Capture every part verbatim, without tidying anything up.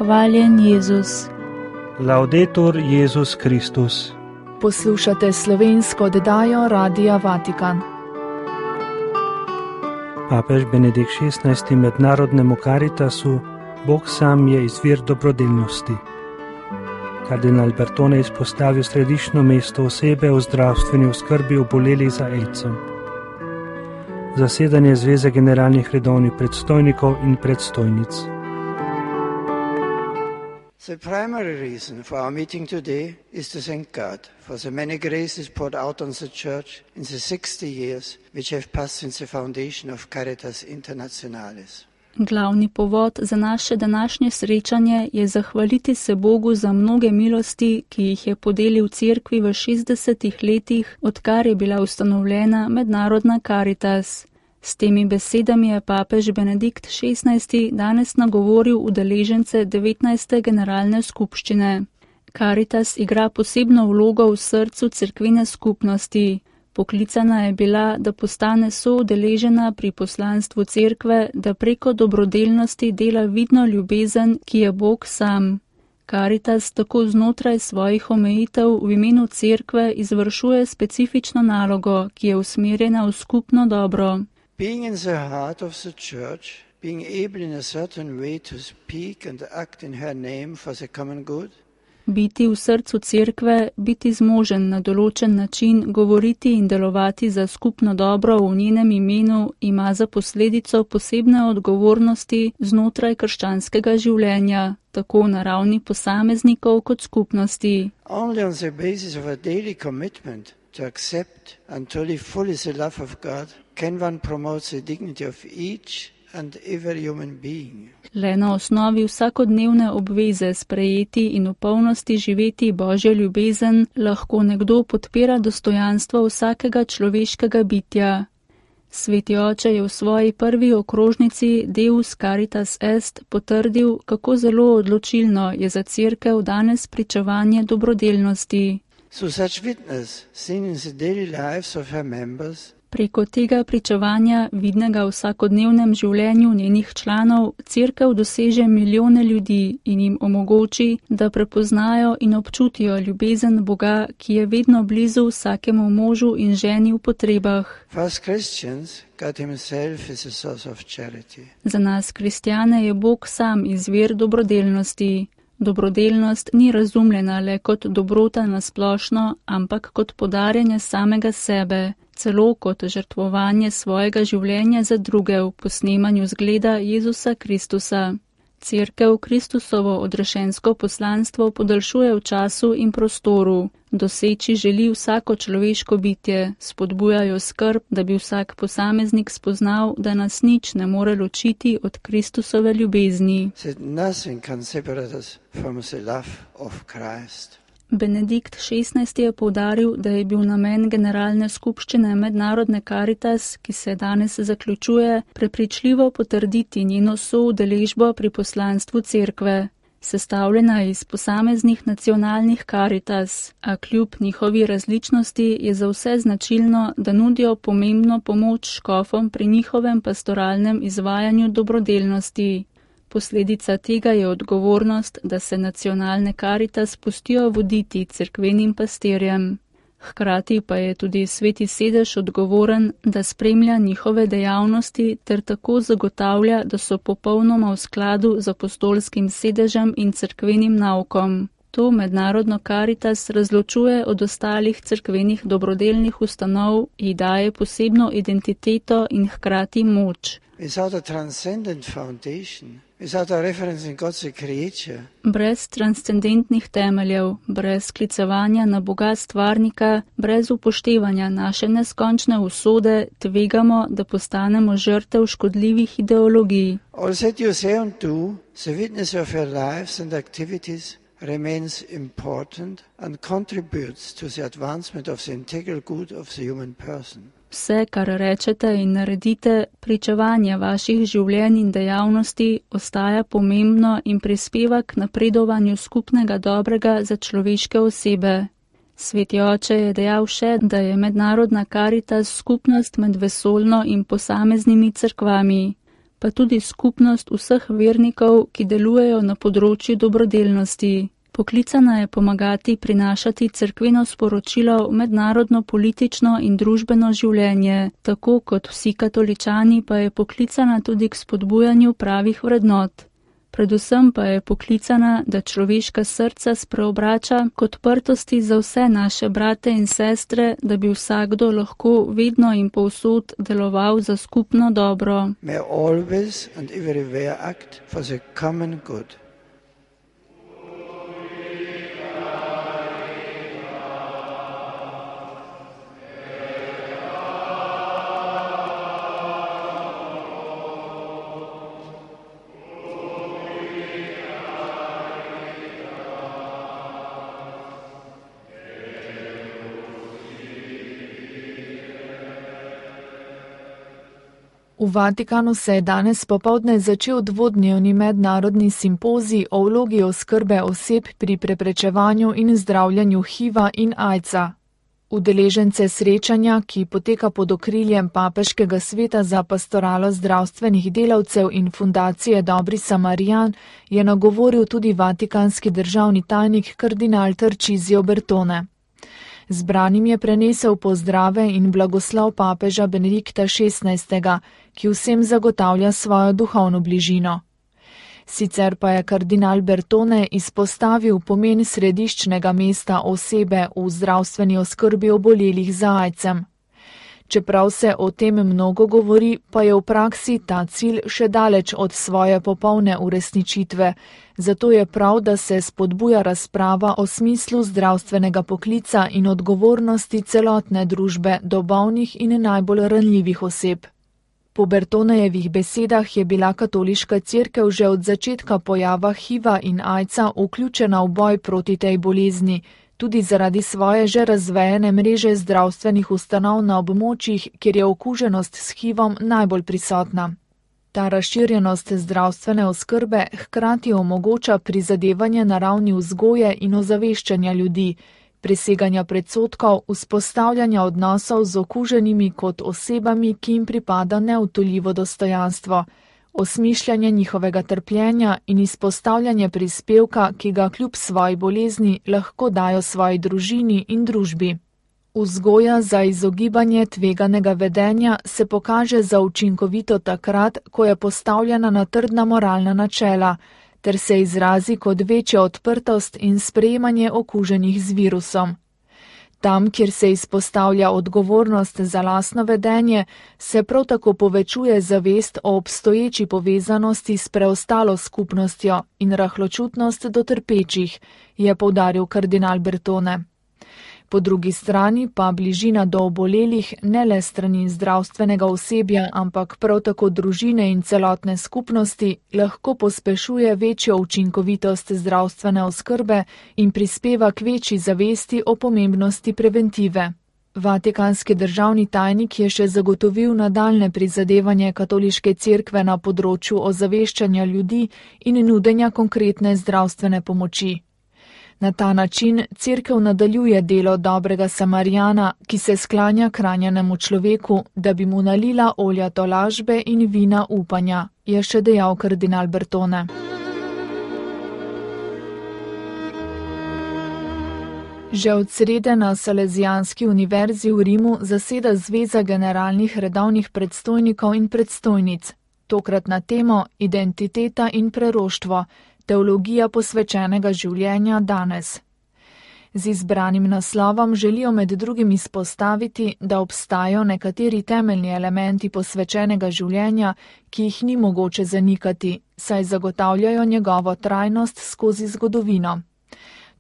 Hvaljen Jezus. Laudetur Jezus Kristus. Poslušate slovensko oddajo Radia Vatikan. Papež Benedikt šestnajsti mednarodnemu Caritasu Bog sam je izvir dobrodelnosti. Kardinal Bertone izpostavil središčno mesto osebe v zdravstveni oskrbi obolelih za aidsom. Zasedanje Zveze generalnih redovnih predstojnikov in predstojnic. The primary reason for our meeting today is to thank God for the many graces poured out on the Church in the sixty years which have passed since the foundation of Caritas Internationalis. Glavni povod za naše današnje srečanje je zahvaliti se Bogu za mnoge milosti, ki jih je podelil Cerkvi v šestdesetih letih, odkar je bila ustanovljena mednarodna Caritas. S temi besedami je papež Benedikt šestnajsti danes nagovoril udeležence devetnajste generalne skupščine. Caritas igra posebno vlogo v srcu cerkvene skupnosti. Poklicana je bila, da postane soudeležena pri poslanstvu cerkve, da preko dobrodelnosti dela vidno ljubezen, ki je Bog sam. Caritas tako znotraj svojih omejitev v imenu cerkve izvršuje specifično nalogo, ki je usmerjena v skupno dobro. Being in the heart of the Church, being able in a certain way to speak and act in her name for the common good, Biti v srcu cerkve, biti zmožen na določen način govoriti in delovati za skupno dobro v njenem imenu, ima za posledico posebne odgovornosti znotraj krščanskega življenja, tako na ravni posameznikov kot skupnosti. only on the basis of a daily commitment to accept and to live fully the love of God can one promote the dignity of each and every human being. Le na osnovi vsakodnevne obveze sprejeti in v polnosti živeti Božjo ljubezen lahko nekdo podpira dostojanstvo vsakega človeškega bitja. Sveti oče je v svoji prvi okrožnici Deus Caritas Est potrdil, kako zelo odločilno je za cerkev danes pričevanje dobrodelnosti. Through such witness, seen in the daily lives of her members, Preko tega pričevanja, vidnega v vsakodnevnem življenju njenih članov, cerkev doseže milijone ljudi in jim omogoči, da prepoznajo in občutijo ljubezen Boga, ki je vedno blizu vsakemu možu in ženi v potrebah. for us Christians, God Himself is a source of charity. Za nas kristjane je Bog sam izvir dobrodelnosti. Dobrodelnost ni razumljena le kot dobrota na splošno, ampak kot podarjanje samega sebe, celo kot žrtvovanje svojega življenja za druge v posnemanju zgleda Jezusa Kristusa. Cerkev Kristusovo odrešensko poslanstvo podaljšuje v času in prostoru. Doseči želi vsako človeško bitje, spodbujajo skrb, da bi vsak posameznik spoznal, da nas nič ne more ločiti od Kristusove ljubezni. That nothing can separate us from the love of Christ. Benedikt šestnajsti je poudaril, da je bil namen generalne skupščine mednarodne Caritas, ki se danes zaključuje, prepričljivo potrditi njeno soudeležbo pri poslanstvu cerkve. Sestavljena iz posameznih nacionalnih Caritas, a kljub njihovi različnosti je za vse značilno, da nudijo pomembno pomoč škofom pri njihovem pastoralnem izvajanju dobrodelnosti. Posledica tega je odgovornost, da se nacionalne Caritas pustijo voditi cerkvenim pastirjem. Hkrati pa je tudi Sveti sedež odgovoren, da spremlja njihove dejavnosti ter tako zagotavlja, da so popolnoma v skladu z apostolskim sedežem in cerkvenim naukom. To mednarodno Caritas razločuje od ostalih cerkvenih dobrodelnih ustanov, ji daje posebno identiteto in hkrati moč. Without a transcendent foundation, without a reference in God the Creator, Brez transcendentnih temeljev, brez sklicevanja na Boga stvarnika, brez upoštevanja naše neskončne usode, tvegamo, da postanemo žrtev škodljivih ideologij. all that you say and do, the witness of your lives and activities remains important and contributes to the advancement of the integral good of the human person. Vse, kar rečete in naredite, pričevanje vaših življenj in dejavnosti ostaja pomembno in prispeva k napredovanju skupnega dobrega za človeške osebe. Sveti oče je dejal še, da je mednarodna Caritas skupnost med vesoljno in posameznimi cerkvami. pa tudi skupnost vseh vernikov, ki delujejo na področju dobrodelnosti. Poklicana je pomagati prinašati cerkveno sporočilo v mednarodno politično in družbeno življenje, tako kot vsi katoličani pa je poklicana tudi k spodbujanju pravih vrednot. Predvsem pa je poklicana, da človeška srca spreobrača k odprtosti za vse naše brate in sestre, da bi vsakdo lahko vedno in povsod deloval za skupno dobro. May always and everywhere act for the common good. V Vatikanu se je danes popoldne začel dvodnevni mednarodni simpozij o vlogi oskrbe oseb pri preprečevanju in zdravljanju HIV-a in AIDS-a. Udeležence srečanja, ki poteka pod okriljem Papeškega sveta za pastoralo zdravstvenih delavcev in fundacije Dobri Samarijan, je nagovoril tudi vatikanski državni tajnik kardinal Tarcisio Bertone. Zbranim je prenesel pozdrave in blagoslov papeža Benedikta šestnajstega, ki vsem zagotavlja svojo duhovno bližino. Sicer pa je kardinal Bertone izpostavil pomen središčnega mesta osebe v zdravstveni oskrbi obolelih za AIDS-em. Čeprav se o tem mnogo govori, pa je v praksi ta cilj še daleč od svoje popolne uresničitve, zato je prav, da se spodbuja razprava o smislu zdravstvenega poklica in odgovornosti celotne družbe do bolnih in najbolj ranljivih oseb. Po Bertonejevih besedah je bila katoliška cerkev že od začetka pojava HIV-a in AIDS-a vključena v boj proti tej bolezni, tudi zaradi svoje že razvejene mreže zdravstvenih ustanov na območjih, kjer je okuženost s HIV-om najbolj prisotna. Ta razširjenost zdravstvene oskrbe hkrati omogoča prizadevanje na ravni vzgoje in ozaveščanja ljudi, preseganja predsodkov, vzpostavljanja odnosov z okuženimi kot osebami, ki jim pripada neodtujljivo dostojanstvo, osmišljanje njihovega trpljenja in izpostavljanje prispevka, ki ga kljub svoji bolezni lahko dajo svoji družini in družbi. Vzgoja za izogibanje tveganega vedenja se pokaže za učinkovito takrat, ko je postavljena na trdna moralna načela, ter se izrazi kot večja odprtost in sprejemanje okuženih z virusom. Tam, kjer se izpostavlja odgovornost za lastno vedenje, se prav tako povečuje zavest o obstoječi povezanosti s preostalo skupnostjo in rahločutnost do trpečih, je poudaril kardinal Bertone. Po drugi strani pa bližina do obolelih ne le strani zdravstvenega osebja, ampak prav tako družine in celotne skupnosti lahko pospešuje večjo učinkovitost zdravstvene oskrbe in prispeva k večji zavesti o pomembnosti preventive. Vatikanski državni tajnik je še zagotovil nadaljne prizadevanje katoliške cerkve na področju ozaveščanja ljudi in nudenja konkretne zdravstvene pomoči. Na ta način cerkev nadaljuje delo dobrega Samarijana, ki se sklanja k ranjenemu človeku, da bi mu nalila olja tolažbe in vina upanja, je še dejal kardinal Bertone. Že od srede na Salezijanski univerzi v Rimu zaseda Zveza generalnih redovnih predstojnikov in predstojnic, tokrat na temo Identiteta in preroštvo, teologija posvečenega življenja danes. Z izbranim naslovom želijo med drugim izpostaviti, da obstajajo nekateri temeljni elementi posvečenega življenja, ki jih ni mogoče zanikati, saj zagotavljajo njegovo trajnost skozi zgodovino.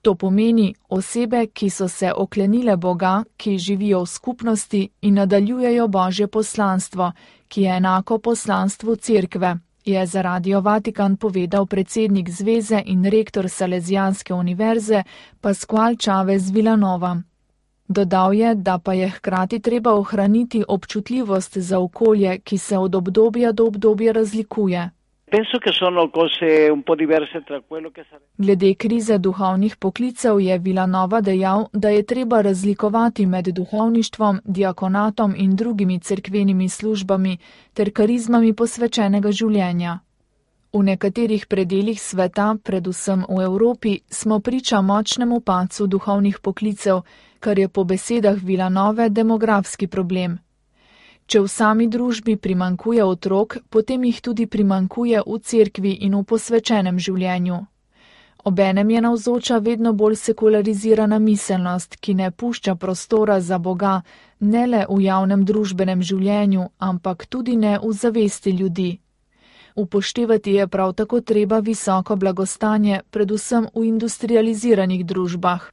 To pomeni osebe, ki so se oklenile Boga, ki živijo v skupnosti in nadaljujejo Božje poslanstvo, ki je enako poslanstvu cerkve, je za Radio Vatikan povedal predsednik zveze in rektor Salezijanske univerze Pascual Chavez Villanova. Dodal je, da pa je hkrati treba ohraniti občutljivost za okolje, ki se od obdobja do obdobja razlikuje. Glede krize duhovnih poklicev je Vilanova dejal, da je treba razlikovati med duhovništvom, diakonatom in drugimi cerkvenimi službami ter karizmami posvečenega življenja. V nekaterih predelih sveta, predvsem v Evropi, smo priča močnemu padcu duhovnih poklicev, kar je po besedah Vilanove demografski problem. Če v sami družbi primankuje otrok, potem jih tudi primankuje v cerkvi in v posvečenem življenju. Obenem je navzoča vedno bolj sekularizirana miselnost, ki ne pušča prostora za Boga, ne le v javnem družbenem življenju, ampak tudi ne v zavesti ljudi. Upoštevati je prav tako treba visoko blagostanje, predvsem v industrializiranih družbah.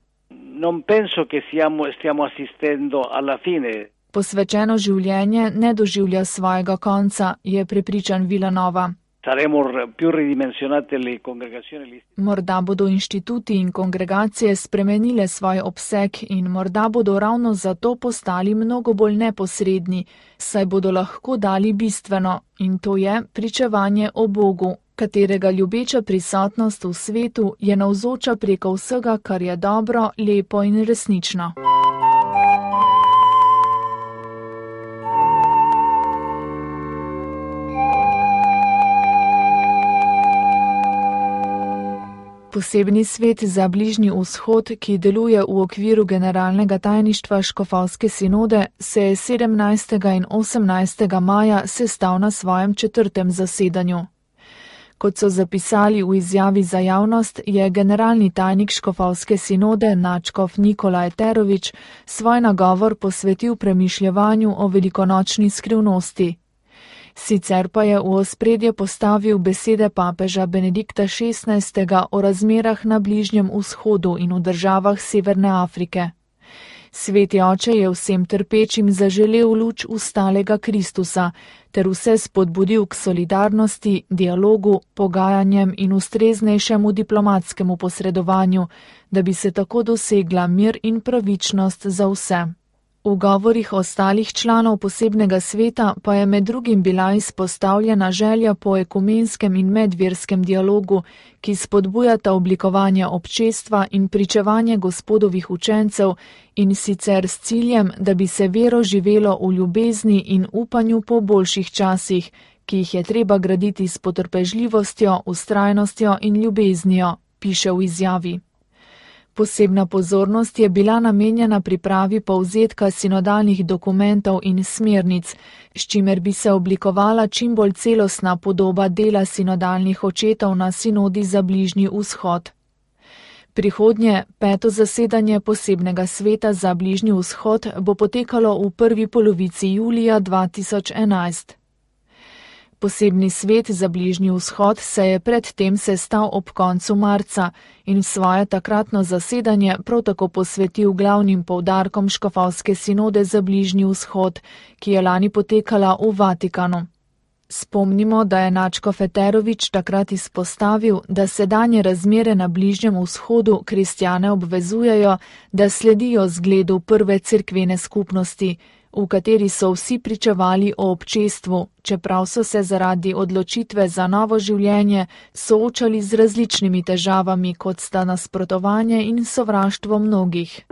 Non penso che siamo, stiamo assistendo alla fine. Posvečeno življenje ne doživlja svojega konca, je prepričan Vilanova. Morda bodo inštituti in kongregacije spremenile svoj obseg in morda bodo ravno zato postali mnogo bolj neposredni, saj bodo lahko dali bistveno, in to je pričevanje o Bogu, katerega ljubeča prisotnost v svetu je navzoča preko vsega, kar je dobro, lepo in resnično. Posebni svet za Bližnji vzhod, ki deluje v okviru generalnega tajništva Škofovske sinode, se je sedemnajstega in osemnajstega maja sestal na svojem četrtem zasedanju. Kot so zapisali v izjavi za javnost, je generalni tajnik Škofovske sinode nadškof Nikolaj Terovič svoj nagovor posvetil premišljevanju o velikonočni skrivnosti. Sicer pa je v ospredje postavil besede papeža Benedikta šestnajstega o razmerah na Bližnjem vzhodu in v državah Severne Afrike. Sveti oče je vsem trpečim zaželel luč ustalega Kristusa ter vse spodbudil k solidarnosti, dialogu, pogajanjem in ustreznejšemu diplomatskemu posredovanju, da bi se tako dosegla mir in pravičnost za vse. V govorih ostalih članov posebnega sveta pa je med drugim bila izpostavljena želja po ekumenskem in medverskem dialogu, ki spodbujata oblikovanje občestva in pričevanje Gospodovih učencev, in sicer s ciljem, da bi se vero živelo v ljubezni in upanju po boljših časih, ki jih je treba graditi s potrpežljivostjo, vztrajnostjo in ljubeznijo, piše v izjavi. Posebna pozornost je bila namenjena pripravi povzetka sinodalnih dokumentov in smernic, s čimer bi se oblikovala čim bolj celostna podoba dela sinodalnih očetov na sinodi za Bližnji vzhod. Prihodnje, peto zasedanje posebnega sveta za Bližnji vzhod bo potekalo v prvi polovici julija dva tisoč enajst. Posebni svet za Bližnji vzhod se je predtem sestal ob koncu marca in svoje takratno zasedanje prav tako posvetil glavnim poudarkom Škofovske sinode za Bližnji vzhod, ki je lani potekala v Vatikanu. Spomnimo, da je nadškof Eterovič takrat izpostavil, da sedanje razmere na Bližnjem vzhodu kristjane obvezujejo, da sledijo zgledu prve cerkvene skupnosti, v kateri so vsi pričevali o občestvu, čeprav so se zaradi odločitve za novo življenje soočali z različnimi težavami, kot sta nasprotovanje in sovraštvo mnogih.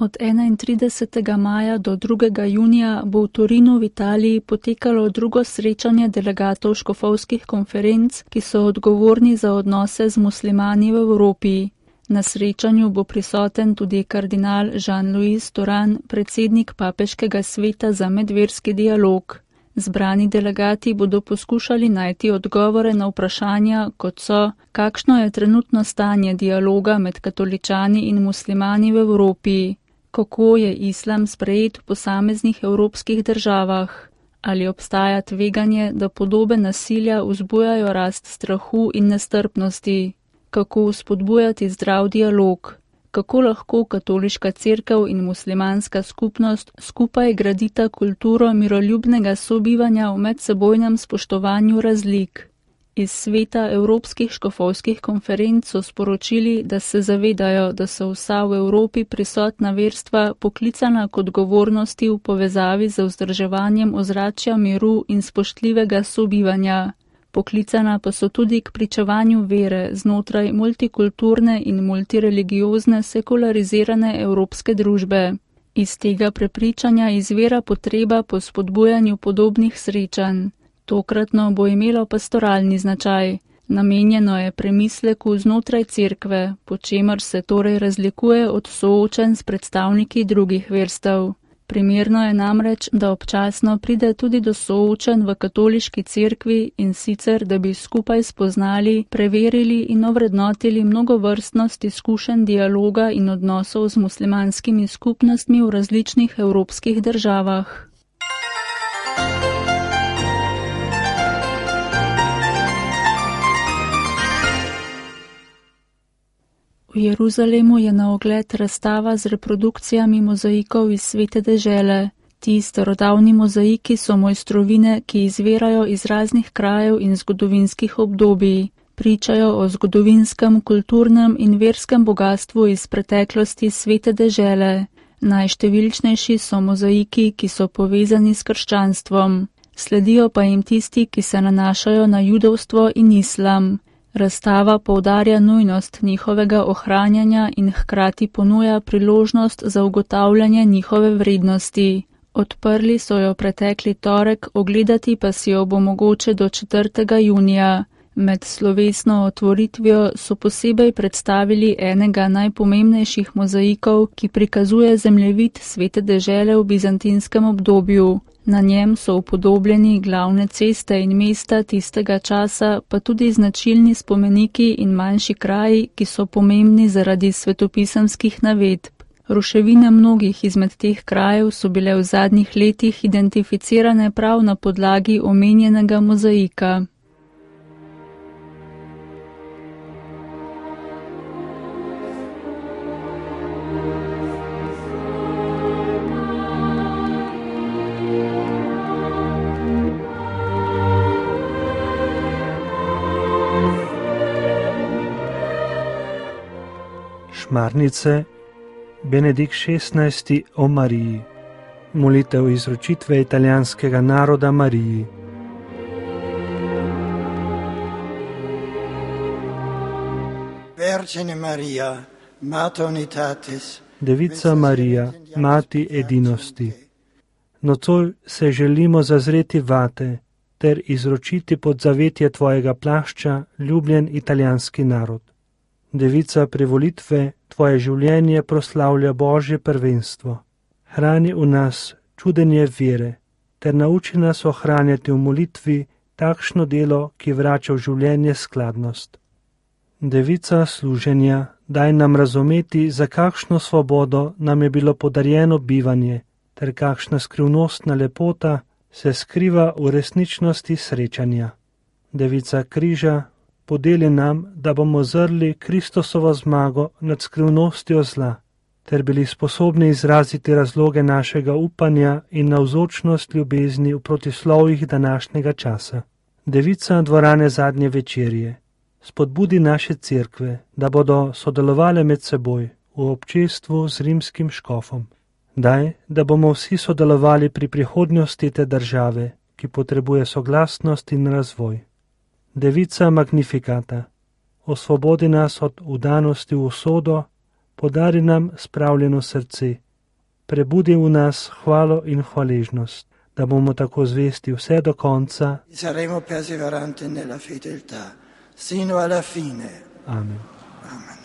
Od enaintridesetega maja do drugega junija bo v Torinu v Italiji potekalo drugo srečanje delegatov škofovskih konferenc, ki so odgovorni za odnose z muslimani v Evropi. Na srečanju bo prisoten tudi kardinal Jean-Louis Toran, predsednik papeškega sveta za medverski dialog. Zbrani delegati bodo poskušali najti odgovore na vprašanja, kot so, kakšno je trenutno stanje dialoga med katoličani in muslimani v Evropi. Kako je islam sprejet v posameznih evropskih državah? Ali obstaja tveganje, da podobe nasilja vzbujajo rast strahu in nestrpnosti? Kako spodbujati zdrav dialog? Kako lahko katoliška cerkev in muslimanska skupnost skupaj gradita kulturo miroljubnega sobivanja v medsebojnem spoštovanju razlik? Iz sveta Evropskih škofovskih konferenc so sporočili, da se zavedajo, da so vsa v Evropi prisotna verstva poklicana k odgovornosti v povezavi z vzdrževanjem ozračja miru in spoštljivega sobivanja. Poklicana pa so tudi k pričevanju vere znotraj multikulturne in multireligiozne sekularizirane evropske družbe. Iz tega prepričanja izvira potreba po spodbujanju podobnih srečanj. Tokratno bo imelo pastoralni značaj. Namenjeno je premisleku znotraj cerkve, po čemer se torej razlikuje od soočenj s predstavniki drugih verstev. Primerno je namreč, da občasno pride tudi do soočenj v katoliški cerkvi in sicer, da bi skupaj spoznali, preverili in ovrednotili mnogovrstnost izkušenj dialoga in odnosov z muslimanskimi skupnostmi v različnih evropskih državah. V Jeruzalemu je na ogled razstava z reprodukcijami mozaikov iz Svete dežele. Ti starodavni mozaiki so mojstrovine, ki izvirajo iz raznih krajev in zgodovinskih obdobij. Pričajo o zgodovinskem, kulturnem in verskem bogatstvu iz preteklosti Svete dežele. Najštevilčnejši so mozaiki, ki so povezani s krščanstvom. Sledijo pa jim tisti, ki se nanašajo na judovstvo in islam. Razstava poudarja nujnost njihovega ohranjanja in hkrati ponuja priložnost za ugotavljanje njihove vrednosti. Odprli so jo pretekli torek, ogledati pa si jo bo mogoče do četrtega junija. Med slovesno otvoritvijo so posebej predstavili enega najpomembnejših mozaikov, ki prikazuje zemljevid Svete dežele v bizantinskem obdobju. Na njem so upodobljeni glavne ceste in mesta tistega časa, pa tudi značilni spomeniki in manjši kraji, ki so pomembni zaradi svetopisemskih navedb. Ruševine mnogih izmed teh krajev so bile v zadnjih letih identificirane prav na podlagi omenjenega mozaika. Šmarnice, Benedikt šestnajsti o Mariji. Molitev izročitve italijanskega naroda Mariji. Vergine Maria, Mater Unitatis, Devica Marija, mati edinosti. Nocoj se želimo zazreti vate ter izročiti pod zavetje tvojega plašča ljubljen italijanski narod. Devica privolitve, tvoje življenje proslavlja Božje prvenstvo. Hrani v nas čudenje vere, ter nauči nas ohranjati v molitvi takšno delo, ki vrača v življenje skladnost. Devica služenja, daj nam razumeti, za kakšno svobodo nam je bilo podarjeno bivanje, ter kakšna skrivnostna lepota se skriva v resničnosti srečanja. Devica križa, podeli nam, da bomo zrli Kristusovo zmago nad skrivnostjo zla, ter bili sposobni izraziti razloge našega upanja in navzočnost ljubezni v protislovjih današnjega časa. Devica dvorane zadnje večerje, spodbudi naše cerkve, da bodo sodelovale med seboj v občestvu z rimskim škofom. Daj, da bomo vsi sodelovali pri prihodnosti te države, ki potrebuje soglasnost in razvoj. Devica Magnifikata, osvobodi nas od vdanosti v usodo, podari nam spravljeno srce, prebudi v nas hvalo in hvaležnost, da bomo tako zvesti vse do konca. Saremo perseveranti nella fedeltà, sino alla fine. Amen. Amen.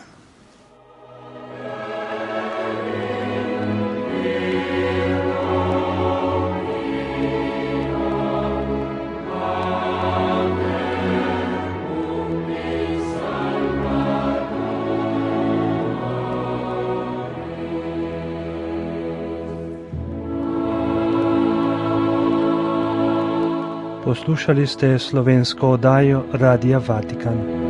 Poslušali ste slovensko oddajo Radia Vatikan.